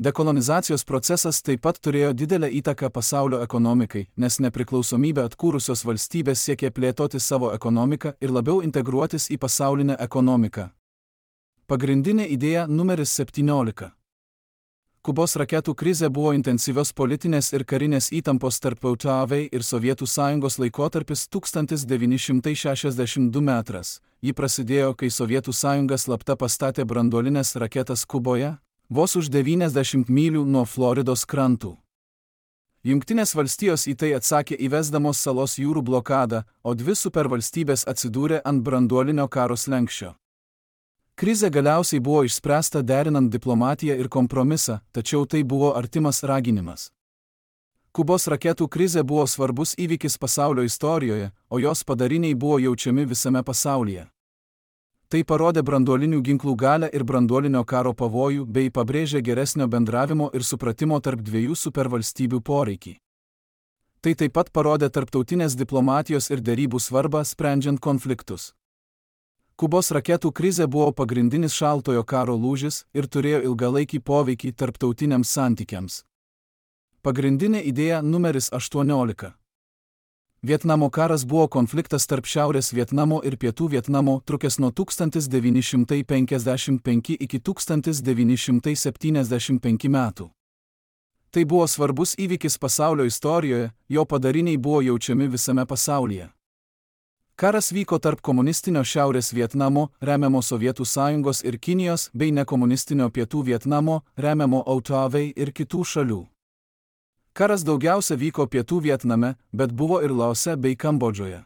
Dekolonizacijos procesas taip pat turėjo didelę įtaką pasaulio ekonomikai, nes nepriklausomybę atkūrusios valstybės siekė plėtoti savo ekonomiką ir labiau integruotis į pasaulinę ekonomiką. Pagrindinė idėja numeris septyniolika. Kubos raketų krizė buvo intensyvios politinės ir karinės įtampos tarp O T V ir Sovietų sąjungos laikotarpis tūkstantis devyni šimtai šešiasdešimt du metras. Ji prasidėjo, kai Sovietų sąjunga slapta pastatė branduolines raketas Kuboje, vos už devyniasdešimt mylių nuo Floridos krantų. Jungtinės valstijos į tai atsakė įvesdamos salos jūrų blokadą, o dvi supervalstybės atsidūrė ant branduolinio karo slenksčio. Krizė galiausiai buvo išspręsta derinant diplomatiją ir kompromisą, tačiau tai buvo artimas raginimas. Kubos raketų krizė buvo svarbus įvykis pasaulio istorijoje, o jos padariniai buvo jaučiami visame pasaulyje. Tai parodė branduolinių ginklų galią ir branduolinio karo pavojų bei pabrėžė geresnio bendravimo ir supratimo tarp dviejų supervalstybių poreikį. Tai taip pat parodė tarptautinės diplomatijos ir derybų svarbą sprendžiant konfliktus. Kubos raketų krizė buvo pagrindinis šaltojo karo lūžis ir turėjo ilgalaikį poveikį tarptautiniams santykiams. Pagrindinė idėja numeris aštuoniolika. Vietnamo karas buvo konfliktas tarp Šiaurės Vietnamo ir Pietų Vietnamo, trukęs nuo tūkstantis devyni šimtai penkiasdešimt penki iki tūkstantis devyni šimtai septyniasdešimt penki metų. Tai buvo svarbus įvykis pasaulio istorijoje, jo padariniai buvo jaučiami visame pasaulyje. Karas vyko tarp komunistinio Šiaurės Vietnamo, remiamo Sovietų sąjungos ir Kinijos, bei nekomunistinio Pietų Vietnamo, remiamo O T V ir kitų šalių. Karas daugiausia vyko Pietų Vietname, bet buvo ir Laose bei Kambodžoje.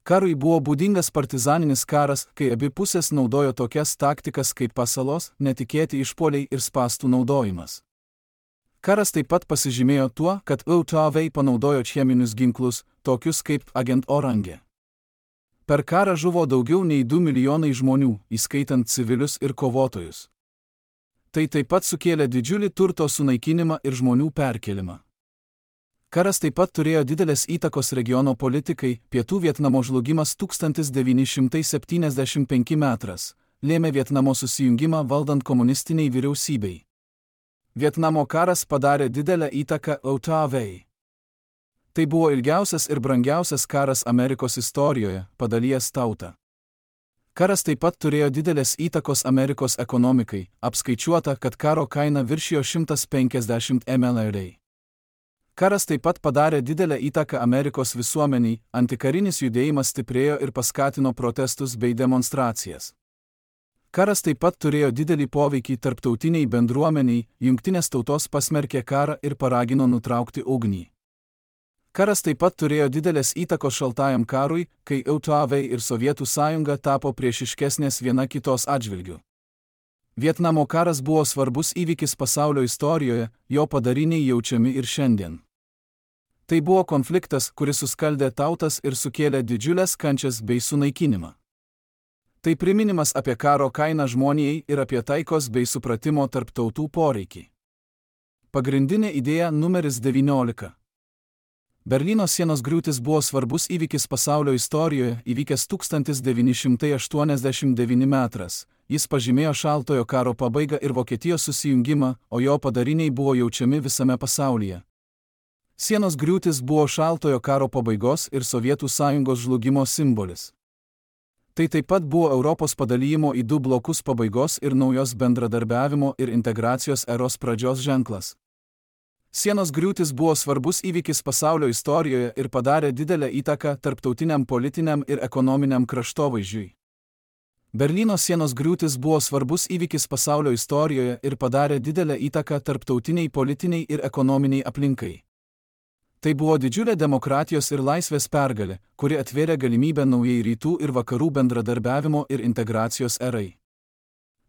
Karui buvo būdingas partizaninis karas, kai abi pusės naudojo tokias taktikas kaip pasalos, netikėti išpuoliai ir spąstų naudojimas. Karas taip pat pasižymėjo tuo, kad O T V panaudojo cheminius ginklus, tokius kaip Agent Orange. Per karą žuvo daugiau nei du milijonai žmonių, įskaitant civilius ir kovotojus. Tai taip pat sukėlė didžiulį turto sunaikinimą ir žmonių perkelimą. Karas taip pat turėjo didelės įtakos regiono politikai, Pietų Vietnamo žlugimas tūkstantis devyni šimtai septyniasdešimt penki metras, lėmė Vietnamo susijungimą valdant komunistiniai vyriausybei. Vietnamo karas padarė didelę įtaką O T V. Tai buvo ilgiausias ir brangiausias karas Amerikos istorijoje, padalijęs tautą. Karas taip pat turėjo didelės įtakos Amerikos ekonomikai, apskaičiuota, kad karo kaina viršijo šimtą penkiasdešimt milijonų. Karas taip pat padarė didelę įtaką Amerikos visuomeniai, antikarinis judėjimas stiprėjo ir paskatino protestus bei demonstracijas. Karas taip pat turėjo didelį poveikį tarptautiniai bendruomeniai, Jungtinės tautos pasmerkė karą ir paragino nutraukti ugnį. Karas taip pat turėjo didelės įtakos šaltajam karui, kai O T V ir Sovietų sąjunga tapo priešiškesnės viena kitos atžvilgiu. Vietnamo karas buvo svarbus įvykis pasaulio istorijoje, jo padariniai jaučiami ir šiandien. Tai buvo konfliktas, kuris suskaldė tautas ir sukėlė didžiulės kančias bei sunaikinimą. Tai priminimas apie karo kainą žmonijai ir apie taikos bei supratimo tarp tautų poreikį. Pagrindinė idėja numeris devyniolika. Berlyno sienos griūtis buvo svarbus įvykis pasaulio istorijoje, įvykęs tūkstantis devyni šimtai aštuoniasdešimt devyni metras. Jis pažymėjo šaltojo karo pabaigą ir Vokietijos susijungimą, o jo padariniai buvo jaučiami visame pasaulyje. Sienos griūtis buvo šaltojo karo pabaigos ir Sovietų sąjungos žlugimo simbolis. Tai taip pat buvo Europos padalijimo į du blokus pabaigos ir naujos bendradarbiavimo ir integracijos eros pradžios ženklas. Sienos griūtis buvo svarbus įvykis pasaulio istorijoje ir padarė didelę įtaką tarptautiniam politiniam ir ekonominiam kraštovaizdžiui. Berlyno sienos griūtis buvo svarbus įvykis pasaulio istorijoje ir padarė didelę įtaką tarptautiniai politiniai ir ekonominiai aplinkai. Tai buvo didžiulė demokratijos ir laisvės pergalė, kuri atvėrė galimybę naujai rytų ir vakarų bendradarbiavimo ir integracijos erai.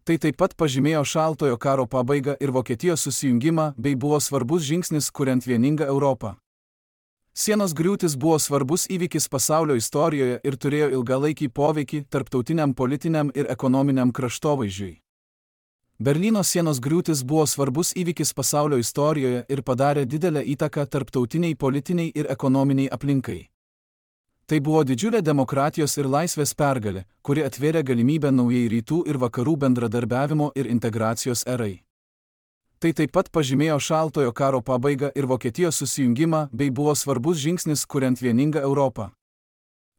Tai taip pat pažymėjo šaltojo karo pabaigą ir Vokietijos susijungimą bei buvo svarbus žingsnis kuriant vieningą Europą. Sienos griūtis buvo svarbus įvykis pasaulio istorijoje ir turėjo ilgalaikį poveikį tarptautiniam politiniam ir ekonominiam kraštovaizdžiui. Berlyno sienos griūtis buvo svarbus įvykis pasaulio istorijoje ir padarė didelę įtaką tarptautiniai politiniai ir ekonominiai aplinkai. Tai buvo didžiulė demokratijos ir laisvės pergalė, kuri atvėrė galimybę naujai rytų ir vakarų bendradarbiavimo ir integracijos erai. Tai taip pat pažymėjo Šaltojo karo pabaigą ir Vokietijos susijungimą bei buvo svarbus žingsnis kuriant vieningą Europą.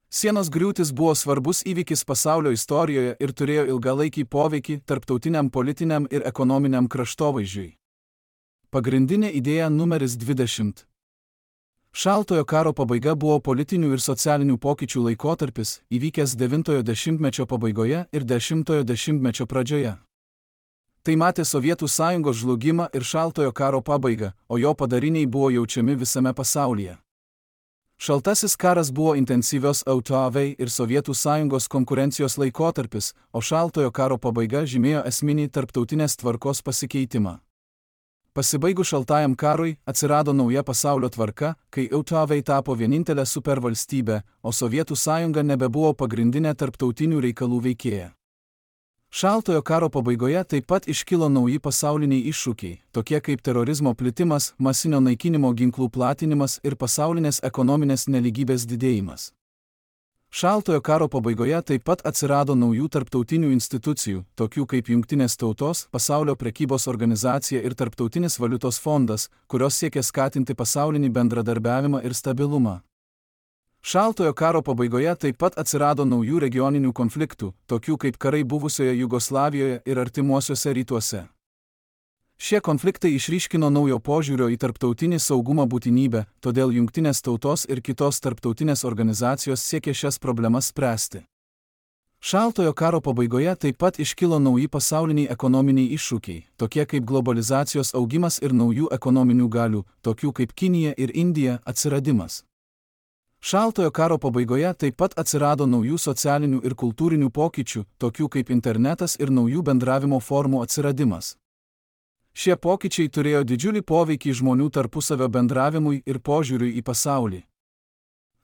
Sienos griūtis buvo svarbus įvykis pasaulio istorijoje ir turėjo ilgalaikį poveikį tarptautiniam politiniam ir ekonominiam kraštovaizdžiui. Pagrindinė idėja numeris dvidešimt. Šaltojo karo pabaiga buvo politinių ir socialinių pokyčių laikotarpis, įvykęs devintojo dešimtmečio pabaigoje ir dešimtojo dešimtmečio pradžioje. Tai matė Sovietų sąjungos žlugimą ir Šaltojo karo pabaigą, o jo padariniai buvo jaučiami visame pasaulyje. Šaltasis karas buvo intensyvios E U ir Sovietų sąjungos konkurencijos laikotarpis, o Šaltojo karo pabaiga žymėjo esminį tarptautinės tvarkos pasikeitimą. Pasibaigus Šaltajam karui atsirado nauja pasaulio tvarka, kai E U tapo vienintelė supervalstybė, o Sovietų sąjunga nebebuvo pagrindinė tarptautinių reikalų veikėja. Šaltojo karo pabaigoje taip pat iškilo nauji pasauliniai iššūkiai, tokie kaip terorizmo plitimas, masinio naikinimo ginklų platinimas ir pasaulinės ekonominės nelygybės didėjimas. Šaltojo karo pabaigoje taip pat atsirado naujų tarptautinių institucijų, tokių kaip Jungtinės tautos, Pasaulio prekybos organizacija ir Tarptautinis valiutos fondas, kurios siekia skatinti pasaulinį bendradarbiavimą ir stabilumą. Šaltojo karo pabaigoje taip pat atsirado naujų regioninių konfliktų, tokių kaip karai buvusioje Jugoslavijoje ir artimuosiuose rytuose. Šie konfliktai išryškino naujo požiūrio į tarptautinį saugumą būtinybę, todėl Jungtinės tautos ir kitos tarptautinės organizacijos siekė šias problemas spręsti. Šaltojo karo pabaigoje taip pat iškilo nauji pasauliniai ekonominiai iššūkiai, tokie kaip globalizacijos augimas ir naujų ekonominių galių, tokių kaip Kinija ir Indija, atsiradimas. Šaltojo karo pabaigoje taip pat atsirado naujų socialinių ir kultūrinių pokyčių, tokių kaip internetas ir naujų bendravimo formų atsiradimas. Šie pokyčiai turėjo didžiulį poveikį žmonių tarpusavio bendravimui ir požiūriui į pasaulį.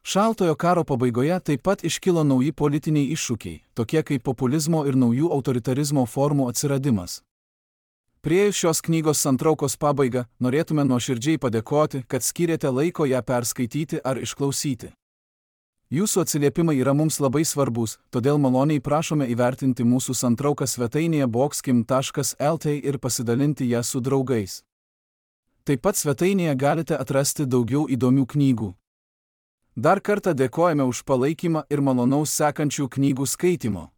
Šaltojo karo pabaigoje taip pat iškilo nauji politiniai iššūkiai, tokie kaip populizmo ir naujų autoritarizmo formų atsiradimas. Priėjus šios knygos santraukos pabaigą, norėtume nuoširdžiai padėkoti, kad skyrėte laiko ją perskaityti ar išklausyti. Jūsų atsiliepimai yra mums labai svarbus, todėl maloniai prašome įvertinti mūsų santrauką svetainėje boxkim taškas el t ir pasidalinti ją su draugais. Taip pat svetainėje galite atrasti daugiau įdomių knygų. Dar kartą dėkojame už palaikymą ir malonaus sekančių knygų skaitimo.